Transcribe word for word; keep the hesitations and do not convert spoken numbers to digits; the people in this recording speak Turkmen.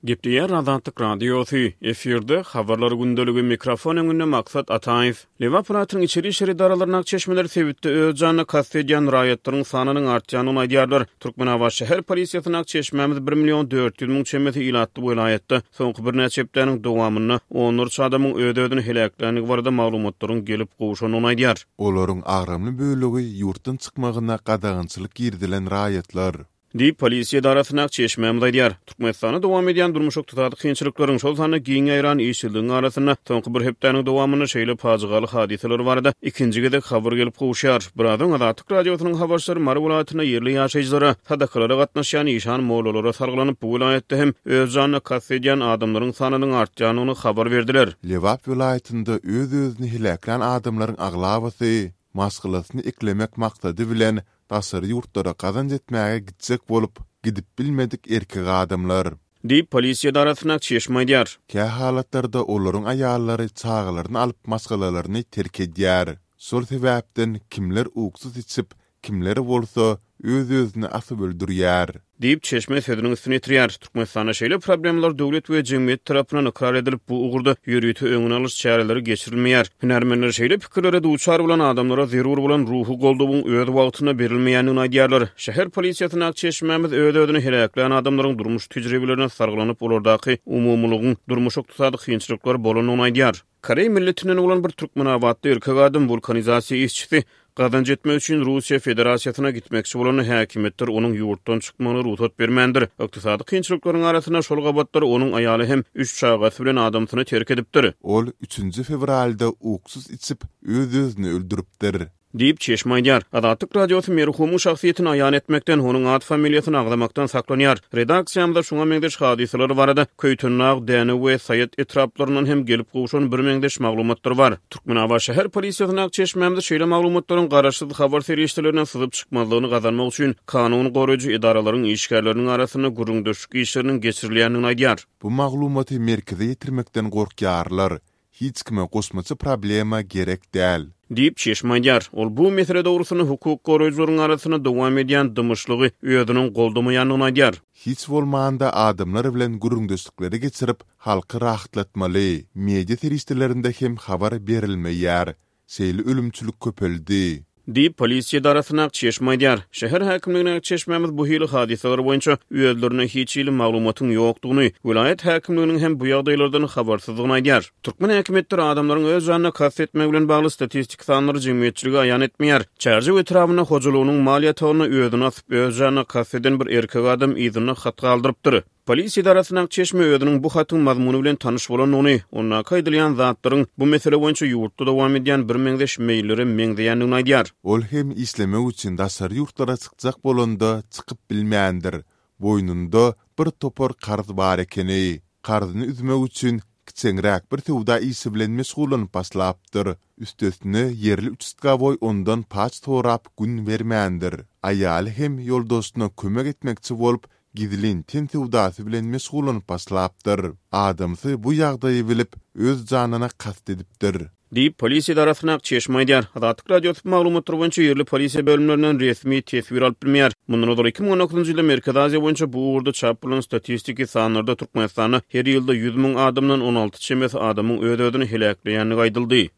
Gepleýär Azatlyk Radiosy, efirde Habarlar gündeligi, mikrofon öňünde Maksat Ataýew. Lebap welaýatynyň içeri işler edaralaryndaky çeşmeler sebitde öz janyna kast edýän raýatlaryň sanynyň artýandygyny aýdýarlar. Türkmenabat şäher polisiýasyndaky çeşmämiz bir million dört ýüz müň çemesi ilatly welaýatda soňky birnäçe hepdäniň dowamynda onlarça adamyň öz-özüni heläkländigi barada maglumatlaryň gelip gowşandygyny aýdýar. Olaryň agramly bölegi ýurtdan çykmagyna gadagançylyk girizilen raýatlar. Diýip, polisiýa edarasyndaky çeşmämiz aýdýar. Türkmenistanda dowam edýän durmuş-ykdysady kynçylyklaryň, şol sanda giň ýaýran işsizligiň arasynda soňky bir hepdäniň dowamynda şeýle pajygaly hadysalar barada ikinji gezek habar gelip gowuşýar. Biraz öň Azatlyk Radiosynyň habarçylary Mary welaýatynda ýerli ýaşaýjylara, sadakalara gatnaşýan işan-mollalara salgylanyp, bu welaýatda hem öz janyna kast edýän adamlaryň sanynyň artýandygyny habar berdiler. Lebap welaýatynda öz-özüni heläklän adamlaryň aglabasy maşgalasyny eklemek maksady bilen daşary ýurtlara gazanç etmäge gitjek bolup, gidip bilmedik erkek adamlar. Diýip, polisiýa edarasyndaky çeşme aýdýar. Kähalatlarda olaryň aýallary çagalaryny alyp maşgalalaryny terk edýär. Şol sebäpden kimler uksus içip, kimler bolsa öz-özüni asyp öldürýär. Diýip, çeşme sözüniň üstüni ýetirýär. Türkmenistanda şeýle problemalar döwlet we jemgyýet tarapyndan ykrar edilip, bu ugurda ýörite öňüni alyş çäreleri geçirilmeýär. Hünärmenler şeýle pikirlere duçar bolan adamlara zerur bolan ruhy goldawyň öz wagtynda berilmeýändigini aýdýarlar. Şäher polisiýasyndaky çeşmämiz öz-özüni heläklän adamlaryň durmuş tejribelerine salgylanyp, olardaky umumylygyň durmuş-ykdysady kynçylyklar bolandygyny aýdýar. Koreý milletinden bolan bir türkmenabatly erkek adam wulkanizasiýa işçisi gazanç etmek üçin Russiýa Federasiýasyna gitmekçi bolanda häkimiýetler onuň ýurtdan çykmagyna rugsat bermändir. Ykdysady kynçylyklaryň arasynda şol gabatlar onuň aýaly hem üç çagasy bilen adamsyny terk edipdir. Ol üçünji fewralda uksus içip, öz-özüni öldüripdir. Diýip, çeşme aýdýar. Azatlyk Radiosy merhumyň şahsyýetini aýan etmekden, onuň at-familiýasyny agzamakdan saklanýar. Redaksiýamyza şuňa meňzeş hadysalar barada Köýtendag, Dänew we Saýat etraplaryndan hem gelip gowşan birmeňzeş maglumatlar bar. Türkmenabat şäher polisiýasyndaky çeşmämiz şeýle maglumatlaryň garaşsyz habar serişdelerinden syzyp çykmazlygyny gazanmak üçin kanun goraýjy edaralaryň işgärleriniň arasynda gürrüňdeşlik işleriniň geçirilýändigini aýdýar. Bu maglumaty merkeze ýetirmekden gorkýarlar. Hiç kime goşmaça problema gerek däl. Diýip, çeşme aýdýar. Ol bu mesele dogrusynda hukuk goraýjylaryň arasynda dowam edýän dymyşlygy özüniň goldamaýandygyny aýdýar. Hiç bolmanda adamlar bilen gürrüňdeşlikleri geçirip, halky rahatlatmaly. Media serişdelerinde hem habar berilmeýär. Şeýle ölümçilik köpeldi. Diýip, polisiýa edarasyndaky çeşme aýdýar. Şäher häkimligindäki çeşmämiz bu hili hadysalar boýunça özlerinde hiç hili maglumatyň ýokdugyny, welaýat häkimliginiň hem bu ýagdaýlardan habarsyzdygyny aýdýar. Türkmen häkimiýetleri adamlaryň öz janyna kast etmegi bilen bagly statistiki sanlary jemgyýetçilige aýan etmeýär. Çärjew etrabynda hojalygynyň mal ýatagynda özüni asyp, öz janyna kast eden bir erkek adam yzynda hat galdyrypdyr. Polisiýa edarasyndaky çeşme özüniň bu hatyň mazmuny bilen tanyş bolandygyny, ondaky aýdylýan zatlaryň bu mesele boýunça ýurtda dowam edýän birmeňzeş meýillere meňzeýändigini aýdýar. Ol hem işlemek üçin daşary ýurtlara çykjak bolanda çykyp bilmändir. Boýnunda bir topar karz bar ekeni. Karzyny üzmek üçin kiçeňräk bir söwda işi bilen meşgullanyp başlapdyr. Üstesine ýerli uçastkowoý ondan paç sorap gün bermändir. Aýaly hem ýoldaşyna kömek etmekçi bolup, gizlin ten söwdasy bilen meşgullanyp başlapdyr. Adamsy bu ýagdaýy bilip, öz janyna kast edipdir. Diýip, polisiýa edarasyndaky çeşme aýdýar. Azatlyk Radiosy bu maglumatlar boýunça ýerli polisiýa bölümlerinden resmi teswir alyp bilmeýär. Mundan ozal iki müň on dokuzynjy ýylda Merkezi Aziýa boýunça bu ugurda çap bolan statistiki sanlarda Türkmenistanda her ýylda ýüz müň adamdan on alty çemesi adamyň öz-özüni heläkleýändigi aýdyldy.